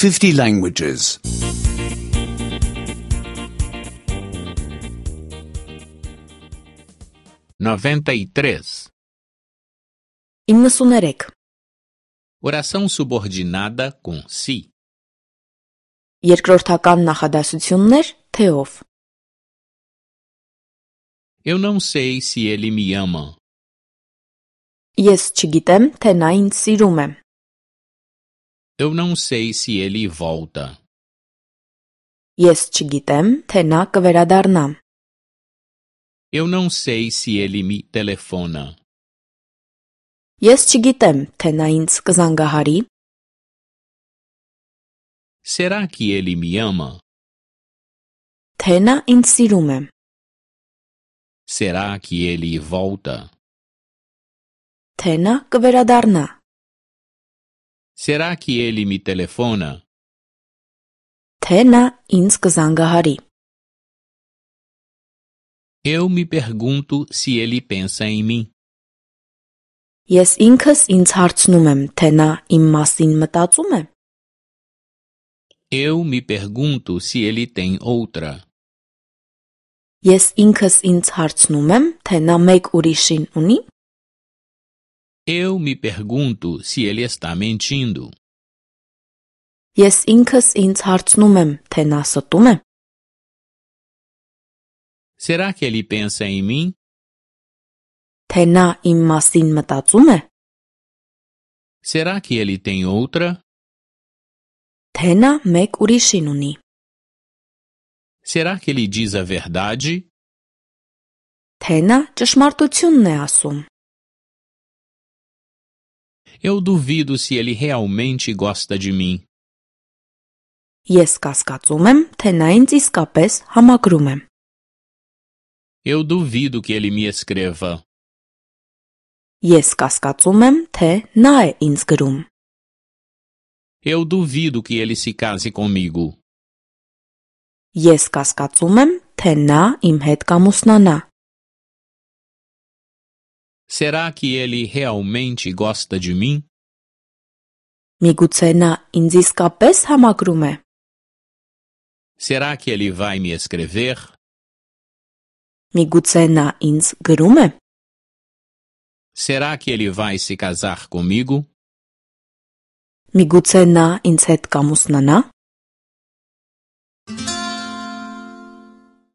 50 languages. 93. 93. Oração subordinada com si. Երկրորդական նախադասություններ թեով. Eu não sei se ele me ama. Ես չգիտեմ, թե նա ինձ սիրում է. Eu não sei se ele volta. Ես չգիտեմ, թե նա կվերադառնա. Eu não sei se ele me telefona. Ես չգիտեմ, թե նա ինձ կզանգահարի. Será que ele me ama? Թե նա ինձ սիրում է. Será que ele volta? Թե նա կվերադառնա. Será que ele me telefona? Թե նա ինձ կզանգահարի. Eu me pergunto se ele pensa em mim. Ես ինքս ինձ հարցնում եմ, թե նա իմ մասին մտածում է. Eu me pergunto se ele tem outra. Ես ինքս ինձ հարցնում եմ, թե նա մեկ ուրիշին ունի. Eu me pergunto se ele está mentindo. Ես ինքս ինձ հարցնում եմ, թե նա ստում է. Será que ele pensa em mim? Թե նա իմ մասին մտածում է. Será que ele tem outra? Թե նա մեկ ուրիշին ունի. Será que ele diz a verdade? Թե նա ճշմարտությունն է ասում. Eu duvido se ele realmente gosta de mim. Ես կասկածում եմ, թե նա ինձ իսկապես համակրում է. Eu duvido que ele me escreva. Ես կասկածում եմ, թե նա է ինձ գրում. Eu duvido que ele se case comigo. Ես կասկածում եմ, թե նա իմ հետ կամուսնանա. Será que ele realmente gosta de mim? Միգուցե նա ինձ իսկապես համակրում է. Será que ele vai me escrever? Միգուցե նա ինձ գրում է. Será que ele vai se casar comigo? Միգուցե նա ինձ հետ կամուսնանա.